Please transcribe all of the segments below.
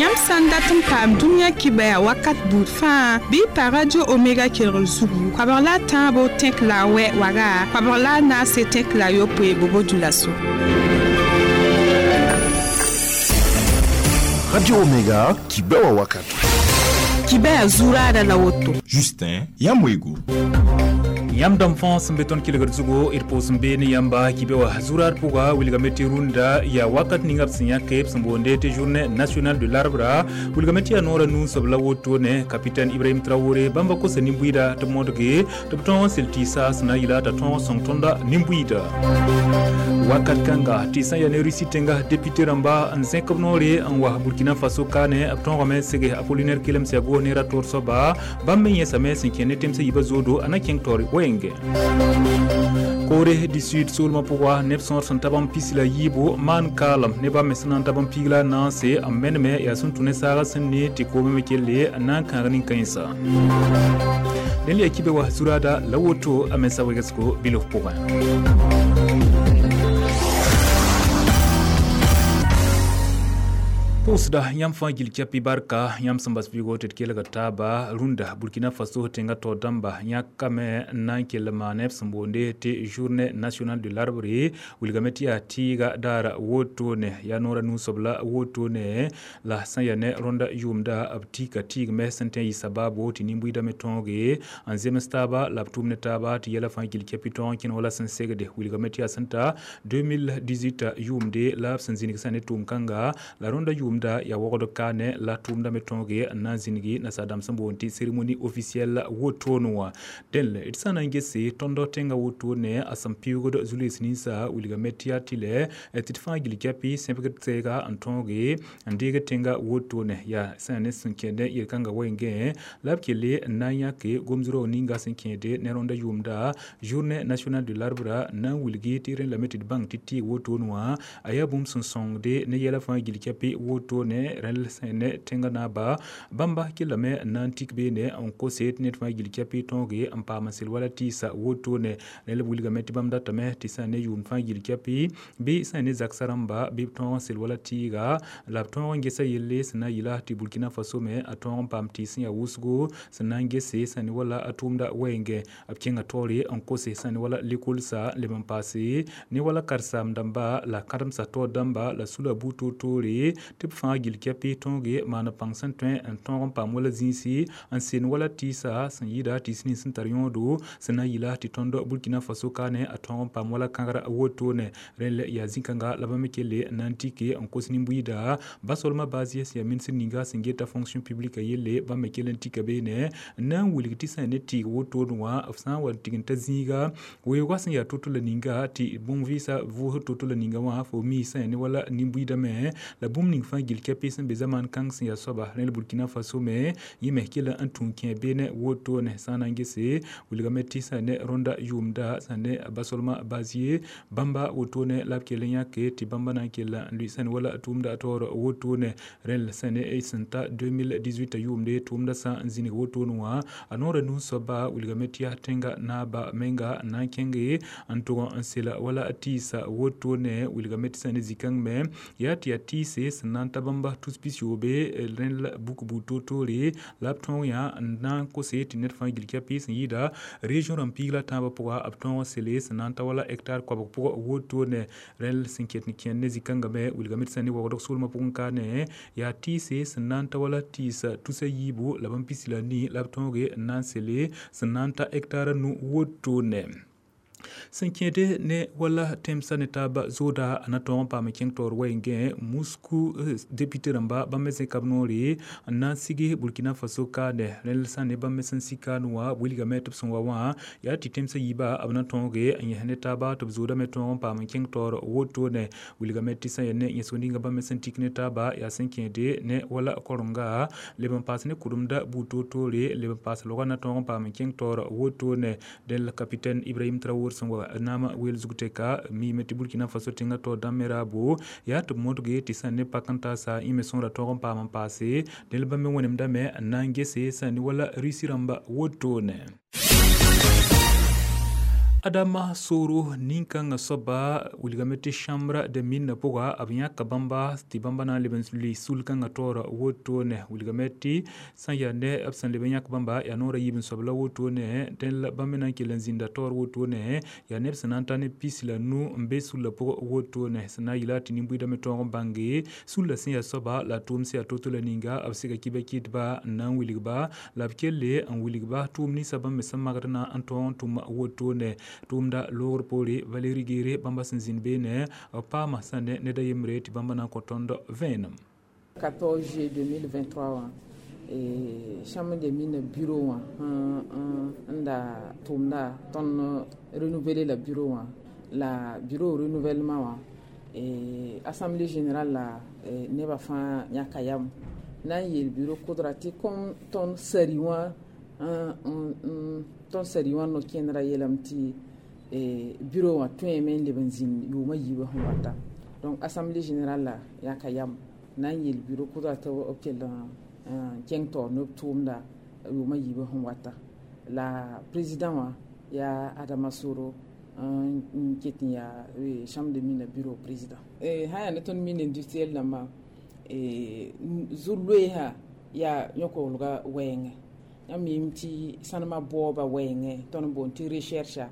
Yãmb sã n dat n paam dũniyã kibaya wakat buud fãa bɩ y pa Radio Omega kelgr zugu koabg la a tãabo tẽk la a wɛ waga koabg la a naase tẽk la a yopoe bobo dioulasso. Radio Omega, Kibewa Wakatu. Kibaya zuraada la woto. Justin Yamwego. Yãmb dãmb fãa sẽn be tõnd kelgd zugu d pʋʋs n bee ne yãmba kɩbe wa zuraad pʋga wilgame tɩ rũndã yaa wakat ninga b sẽn yãke b sẽn boonde tɩ journée nationale de l'arbre wilgame tɩ yaa noorã nuu-soab la wotone capitaine Ibrahim Traoré bãmba kosa nin-buiida tɩ b modge tɩ b tõog n sel tɩɩsa sẽn na n yɩla t'a tõog n sõng tõnda nin-buiida wakat kãnga tɩ sã n yaa ne Russie tẽnga député rãmba n zẽk b noore n wa Burkina Faso kaane b tõogame n sege Apollinaire Kelemsiago ne ra toor soaba bãmb me yẽsame sẽn kẽ ne temsã yiibã zoodo a na kẽng taoore wenge. Corée du Sud soolmã pʋga neb sõor sẽn ta bãmb pis la yiibu maan kaalem ne bãmb me sẽn na n ta bãmb piig la a naase n meneme yaa sẽn tũ ne saaga sẽn ne tɩ koomã me kelle n na n kãag nin-kãensa dẽn la yaa kibe wa zuraada la woto a mensa wegsgo bilf pʋgẽ. Pʋʋsda yãmb fãa gil kɛpɩ barka yãmb sẽn bas vɩɩgo tɩ d kelg taaba rũndã Burkina Faso tẽngã taoor dãmba yãkame n na n kell maane b sẽn boonde tɩ journée nationale de l'arbre wilgame tɩ yaa tɩɩga daara wotone yaa noorã nuu-soab la wotone la sã n yaa ne rõnda yʋʋmda b tika tɩɩgme sẽn tõe n yɩ sabaabo tɩ nin-buiidã me tõoge n zems taaba la b tʋʋm ne taaba tɩ yɛla fãa gil kɛpɩ tõog n kẽne wala sẽn segde wilgame tɩ yaa sẽn ta 2018 yʋʋmde la b sẽn zĩnig sã ne tʋʋm-kãnga la rõnda yʋʋmda yaa wogd kaane la tʋʋmda me tõoge n na n zĩnigi nasaar-dãmb sẽn boond tɩ cérémonie officielle wotone wã dẽn d sã n na n gese tõnd tẽngã wotone a sẽn pɩʋʋgd zu-loees ninsa wilgame tɩ yaa tɩlɛ tɩ d fãa gil kɛpɩ sẽbgd tɛɛga n tõoge n deeg tẽngã wotone yaa sã ne sẽn kẽed yel-kãngã wengẽ la b kelle n na n yãke gomd-roog ninga sẽn kẽede ne rõnda yʋʋmda journée nationale de l'arbre na n wilgi tɩ rẽ lame tɩ d bãng tɩ tɩɩg wotone wã a yaa bũmb sẽn sõngde ne yɛla fãa gil kɛpɩ wotone rẽl sẽn ne tẽngã naaba bãmba kellame n na n tik beene n kose tɩ ned fãa gil kɛpɩ tõoge n paam n sel wala tɩɩsa wotone rẽl b wilgame tɩ bãmb datame tɩ sã n ne yʋʋm fãa gil kɛpɩ bɩ sã n ne zaksa rãmba bɩ b tõog n sel wala tɩɩga la b tõog n gesa yelle sẽn na n yɩla tɩ Burkina Faso me a tõog n paam tɩɩs sẽn yaa wʋsgo sẽn na n gese sã ne wala a tʋʋmda wɛɛngẽ b kẽnga taoore n kose sã ne wala lekolsa leb n paase ne wala karen-saam dãmba la kãdemsã taoor dãmba la sula buud toor-toore tɩ b fãa gil kɛpɩ tõoge maan pãng sẽn tõe n tõog n paam wala zĩisi n sen wala tɩɩsa sẽn yɩɩda tɩɩs nins sẽn tar yõodo sẽn na n yɩla tɩ tõnd Burkina Faso kaane a tõog n paam wala kãgra wotone rẽn yaa zĩ-kãnga la bãmb me kelle n na n tike n kos nin-buiida basolmã bazie sẽn yaa minisr ninga sẽn geta fonction publique yelle bãmb me kell n tika beene n na n wilg tɩ sã ne tɩɩg wotone wã b sã n wa n tign t'a zĩiga weoogã sẽn yaa to-to la ninga tɩ bũmb-vɩɩsã vʋʋsd to-to la ninga wã fo mi sã ne wala nin-buiidã me la bũmb ning fãa gil kɛpɩ sẽn be zamaan kãng sẽn yaa soaba rẽl Burkina Faso me yẽ me kell n tũ kẽ beene wotone sã n na n gese wilgame tɩ sã ne rõnda yʋʋmda sã ne basolmã bazie bãmba wotone la b kell n yãke tɩ bãmba na n kell n lʋɩ sã ne wala tʋʋmda taoor wotone rẽl sã ne sẽn ta 2018 yʋʋmde tʋʋmda sã n zĩnig wotone wã a noorã nuu-soaba wilgame tɩ yaa tẽnga naaba menga n na n kẽnge n tʋg n sela wala tɩɩsa wotone wilgame tɩ sã ne zĩ-kãng me yaa tɩ yaa tɩɩse sẽn na n ta bãmba tus pis-yoobe rẽl buk buud toor-toore la b tõog yã n na n kose tɩ ned fãa gil kɛpɩ sẽn yɩɩda région rãmb piig la tãabã pʋga b tõog n sele sẽn na n ta wala hectare koabg pʋgã wotone rẽl sẽn ket n kẽnd ne zĩ-kãngã me wilgame tɩ sã ne waoodg soolmã pʋgẽ kaane yaa tɩɩse sẽn na n ta wala tɩɩsa tusa yiibu la bãmb pis la nii la b tõoge n na n sele sẽn na n ta hectare nu wotone sẽn kẽede ne wala tẽmsã ne taaba zooda a na tõog n paam n kẽng taoor wɛɛngẽ Moscou député rãmba bãmb me zẽka b noore n na n sig Burkina Faso kaane rẽl sã ne bãmb me sẽn sig kaan wã wilgame tɩ b sẽn wa wã yaa tɩ tẽmsã yiiba b na tõoge n yẽs ne taaba tɩ b zooda me tõog n paam n kẽng taoor wotone wilgame tɩ sã yaa ne yẽsg ninga bãmb me sẽn tik ne taaba yaa sẽn kẽede ne wala korenga leb n paas ne kʋremda buud toor-toore leb n paas logã na tõog n paam n kẽng taoor wotone dẽn capitaine Ibrahim Traoré sẽn wa naamã weel zug tɛka miime tɩ Burkina Faso tẽngã taoor dãmb me raabo yaa tɩ b modge tɩ sã n ne pak n taasa yẽ me sõora tõog n paam n paase dẽl bãmb me wẽnemdame n na n gese sã n ne wala Russie rãmba wotone. Adama Soro nin-kãngã soaba wilgame tɩ Chambre de mines pʋga b yãka bãmba tɩ bãmba na n leb n lʋɩ sul-kãngã taoora wotone. Wilgame tɩ sã n yaa ne b sẽn leb n yãk bãmba yaa noorã yiib n soab la wotone, dẽn la bãmb me na n kell n zĩnda taoor wotone, yaa neb sẽn na n ta ne 15 n be sullã pʋgẽ wotone. Sẽn na n yɩla tɩ nin-buiidã me tõog n bãnge sullã sẽn yaa soaba la a tʋʋm sẽn yaa to-to la ninga b sega kɩba-kɩdba n na n wilg-ba la b kelle n wilg-ba tʋʋm ninsã bãmb me sẽn magd na n tõog n tʋm wotone. Tʋʋmda loogr poore Valérie Guéré bãmba sẽn zĩnd beene b paama sã ne ned a yembre tɩ bãmba na n kõ tõnd vẽenem. 14 juillet 2023 wã, Chambre des mines bureau wã n da tʋʋmda, tõnd renouveler la bureau wã, la bureau renouvellement wã, assemblée générale la nebã fãa yãka yam na n yeel bureau kʋdra tɩ kom tõnd sari wã, tõnd sari wã no-kẽndrã yeelame tɩ bureau wã tõeme n leb n zĩnd yʋʋmã yiibã sẽn wata. Donc assemblée générale la yãka yam na n yeel bureau kʋdra tɩ b kell n kẽng taoor ne b tʋʋmda yʋʋmã yiibã sẽn wata. La président wã yaa Adama Soro n ket n yaa Chambre de mine bureau président. Sã yaa ne tõnd mine industriel dãmbã, zu-loeesã yaa yõk-koglga wɛɛngẽ. Yãmb miime tɩ sãnemã baooba wɛɛngẽ, tõnd boond tɩ recherche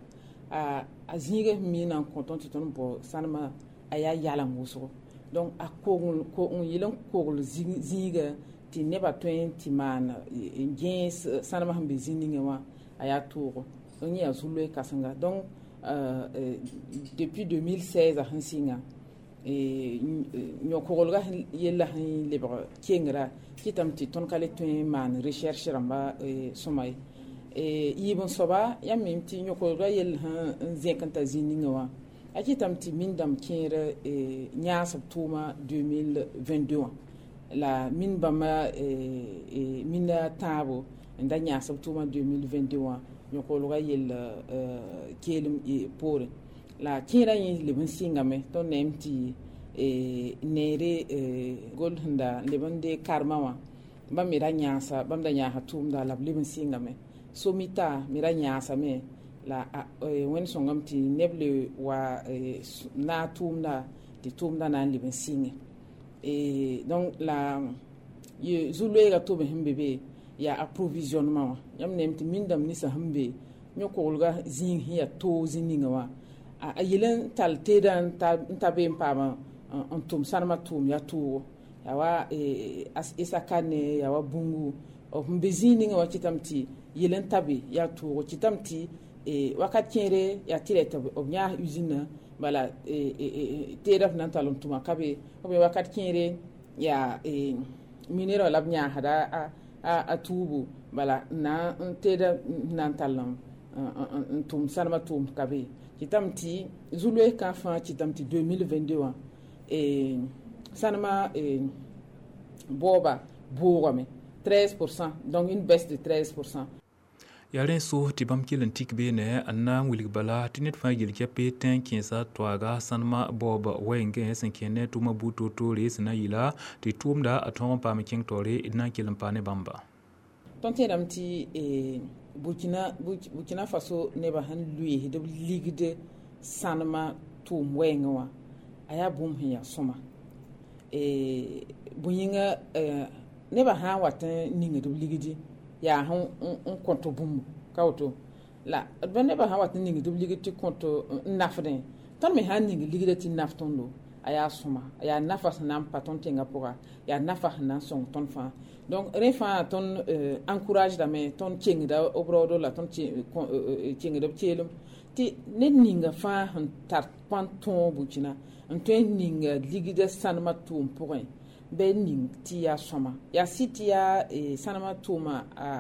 a zĩigã sẽn miina n kõ tõnd tɩ tõnd bao sãnemã, a yaa yaleng wʋsgo. Donc a kogl n yɩl n kogl zĩiga tɩ nebã tõe n tɩ maan n gẽes sãnemã sẽn be zĩ ninga wã, a yaa toogo. Donc yẽ yaa zu-loe kãsenga. Donc depuis 2016 sẽn sɩnga, yõ-koglgã yellã sẽn lebg kengra kɩtame tɩ tõnd ka le tõe n maan recherche rãmba sõma ye. Yiib n soaba, yãmb mime tɩ yõ-koglgã yell sẽn zẽk n ta zĩ ninga wã, a kɩtame tɩ min dãmb kẽer yãas b tʋʋma 2022 wã, la min bãmba mina tãabo n da yãas b tʋʋma 2022 wã, yõ-koglgã yell keelem poorẽ. La kẽerã yẽ leb n sɩngame. Tõnd neem tɩ neere gol sẽn da leb n de karema wã, bãmb me ra yãasa, bãmb da yãasa tʋʋmda la b leb n sɩngame. Somita me ra yãasame, la Wẽnd sõngame tɩ neb le wa naag tʋʋmda tɩ tʋʋmda na n leb n sɩnge. Donc la zu-loeegã tobe sẽn be be yaa approvisionnement wã. Yãmb neem tɩ min dãmb ninsã sẽn be yõ-koglgã zĩig sẽn yaa toog zĩ ninga wã, a yel n tall teedã n ta be n paam n tʋm sãnemã tʋʋm yaa toogo, yaa wa Essakane, yaa wa Boungou b be zĩig ninga wã, kɩtame tɩ yel n ta be yaa toogo, kɩtame tɩ wakat kẽere yaa tɩ rɛ tɩ b yãas usine, bala teedã f na n tall n tʋma ka be, ou bien wakat kẽere yaa minera la b yãasda a tuubu, bala na n teedã na n tall n tʋm sãnemã tʋʋm ka be. Kɩtame tɩ zu-loees kã fãa kɩtame tɩ 2022 wã sãnemã baooba boogame 13%, donc une baisse de 13%. Yaa rẽ so tɩ bãmb kell n tik beene n na n wilg bala tɩ ned fãa yel kɛpe tẽ kẽesa toaaga sãnemã baoob wɛɛngẽ sẽn kẽ ne tʋʋmã buud toor-toore sẽn na n yɩla tɩ tʋʋmda a tõog n paam kẽng taoore d na n kell n paa ne bãmba. Tõnd tẽedame tɩ Burkina Faso nebã sẽn lʋɩɩsd b ligd sãnemã tʋʋm wɛɛngẽ wã, a yaa bũmb sẽn yaa sõma. Bõe yĩnga, nebã sã n wat n ningd b ligdi yaa n kõt bũmb ka woto, la nebã sã n wat n ningd b ligd tɩ kõt n nafdẽ, tõnd me sã n ning ligdã tɩ naf tõndo, a yaa sõma, a yaa nafa sẽn na n pa tõnd tẽngã pʋga, yaa nafa sẽn na n sõng tõnd fãa. Donc rẽ fãa tõnd encourage dame, tõnd kengda b raoodo la tõnd kengda b keelem tɩ ned ninga fãa sẽn tar pãn tõog Burkina n tõe n ninga ligdã sãnemã tʋʋm pʋgẽ, bɩ ning tɩ yaa sõma, yaa sɩd tɩ yaa sãnemã tʋʋma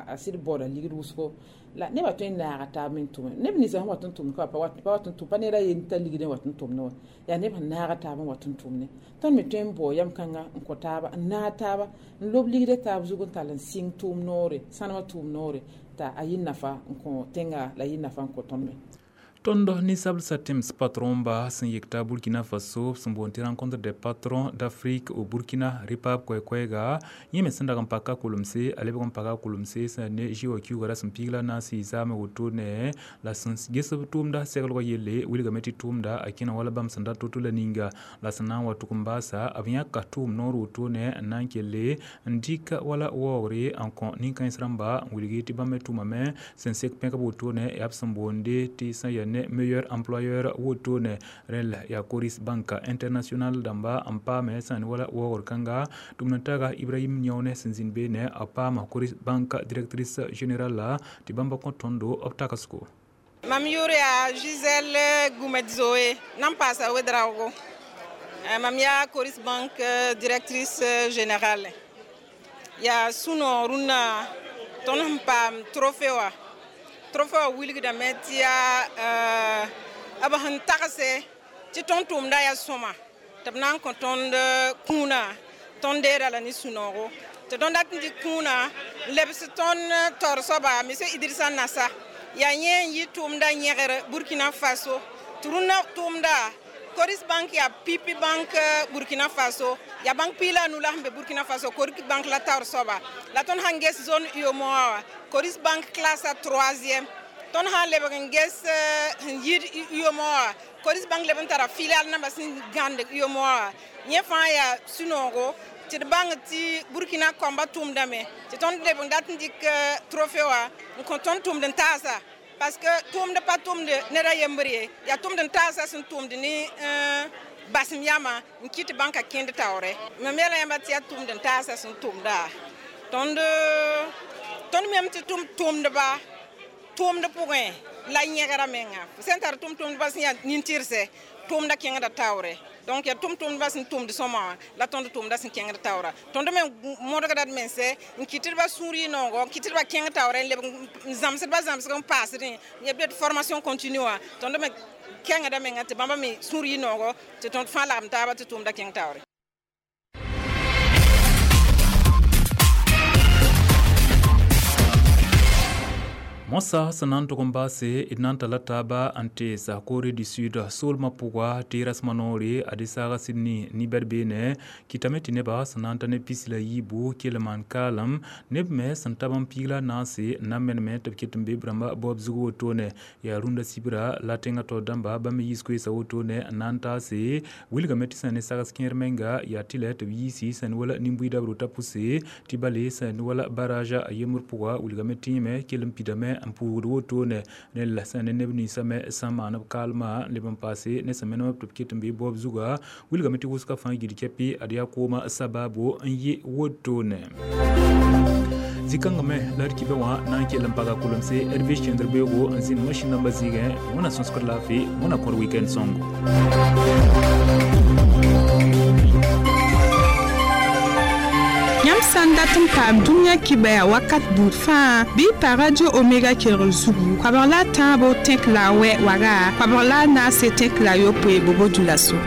a sɩd baooda ligd wʋsgo, la nebã tõe n naaga taab me n tʋme. Neb ninsã sẽn wat n tʋmd ka pa wat n tʋm, pa ned a yen t'a ligdẽ wat n tʋmdẽ wã, yaa neb sẽn naaga taab n wat n tʋmdẽ. Tõnd me tõe n bao yam kãnga n kõ taaba, n naag taaba, n lob ligdã taab zug n tall n sɩng tʋʋm noore, sãnemã tʋʋm noore, t'a a yɩ nafa n kõ tẽnga la yɩ nafa n kõ tõnd me. Tõnd ninsablsã tẽms patron-ba sẽn yekta Burkina Faso sẽn boond tɩ rencontre des patrons d'Afrique au Burkina rɩ-paab koɛɛ-koɛɛga yẽ me sẽn dag n paka kolemse a lebg n paka kolemse sẽn ne G wa kiuuga rasem piig la naase zaame wotone la sẽn ges b tʋʋmda seglgã yelle wilgame tɩ tʋʋmda a kẽna wala bãmb sẽn dat to-to la ninga la sẽn na n wa tʋg n baasa b yãka tʋʋm noor wotone n na n kelle n dɩk wala waoogre n kõ nin-kãens rãmba n wilg tɩ bãmb me tʋmame sẽn sek pẽkb wotone yaa b sẽn boonde tɩ sẽn yaa ne meilleur employeur wotone rel ya Coris Bank International dãmba n paame sẽn wala waoogr kãnga tʋmd n taga Ibrahim Niaone sẽn zĩnd beene a paama Coris Bank directrice générale tɩ bãmba kõ tõndo b tagsgo. Mam yʋʋr yaa Gisèle Goumet-Zoé nan paasa Ouedraogo. Mam yaa Coris Bank directrice générale. Yaa sũ-noog rũnnã tõnd sẽn paam trophée wã. Trophée wã wilgdame tɩ yaa b sẽn tagse tɩ tõnd tʋʋmda yaa sõma tɩ b na n kõ tõnd kũunã tõnd deeda la ne sũ-noogo tɩ tõnd dat n dɩk kũunã n lebs tõnd taoor soaba monsieur Idrissa Nassa yaa yẽ n yɩ tʋʋmda yẽgr Burkina Faso tɩ rũnnã tʋʋmda Coris Bank yaa pipi bank Burkina Faso yaa bank piig la a nu la sẽn be Burkina Faso Coris Bank la taoor soaba la tõnd sãn ges zone UEMOA wã Coris Bank classe a troisième tõnd sã n lebg n ges sẽn yid UEMOA wã Coris Bank leb n tara filial namba sẽn gãnd UEMOA wã yẽ fãa yaa sũ-noogo tɩ d bãng tɩ Burkina kɔmba tʋʋmdame tɩ tõnd leb n dat n dɩk trophée wã n kõ tõnd tʋʋmd n taasa parce que tʋʋmd pa tʋmd ned a yembr ye yaa tʋmd n taasa sẽn tʋmd ne basem yama n kɩt bãnka kẽnd taoore mam yeela yãmba tɩ yaa tʋmd n taasa sẽn tʋmda tõnd mem tɩ tʋmdba tʋʋmd pʋgẽ la yẽgra menga sẽn tar tʋm-tʋmdba sẽn yaa nin-tɩrse tʋʋmda kẽngda taoore donc yaa tʋm-tʋmdba sẽn tʋmd sõma wã la tõnd tʋʋmda sẽn kẽngd taoora tõnd me modgda d mense n kɩtdba sũur yɩ noogo n kɩtdba kẽng taoore n leb n zãmsdba zãmsg n paasdẽ n yaa formation continue wã tõnd me kẽngda menga tɩ bãmba me sũur yɩ noogo tɩ tõnd fãa lagem taaba tɩ tʋʋmda kẽng taoore. Mosa sẽn na n tʋg n baase d na n talla taaba n teesa Corée du Sud soolmã pʋga tɩ rasmã noore ad saaga Sydney nibɛd beene kɩtame tɩ nebã sẽn na n ta ne pis la yiibu kell n maan kaalem neb me sẽn tab n piig la naase n na n meneme tɩ b ket n be b rãmba baoob zug wotone yaa rũndã sibra la tẽngã taoor dãmba bãmb me yiis koeesa wotone n na n taase wilgame tɩ sẽn ne sags kẽer menga yaa tɩ lɛ tɩ b yiisi sẽn wala nin-buiidã b rota pʋse tɩ bale sẽn wala baraja a yembr pʋga wilgame tɩ yẽme kell n pidame n pʋʋgd wotone ne la sẽn ne neb ninsã me sẽn maan b kaalmã n leb n paase ne sẽn menem tɩ b ket n bee baoob zuga wilgame tɩ wʋsgã fãa gil kɛpɩ ad yaa koomã sabaabo n yɩ wotone. Zĩ-kãngã me la d kibã wã na n kell n paga kolemse d be kẽndr beoogo n zĩnd masĩn nambã zɩɩgẽ wẽna sõsgd laafɩ wẽna kõr weekend sõngo. Yãmb sã n dat n paam dũniyã kibaya wakat buud fãa bɩ y pa Radio Omega kelgr zugu koabg la a tãabo tẽk la a wɛ waga koabg la a naase tẽk la a yopoe bobo dũlaso.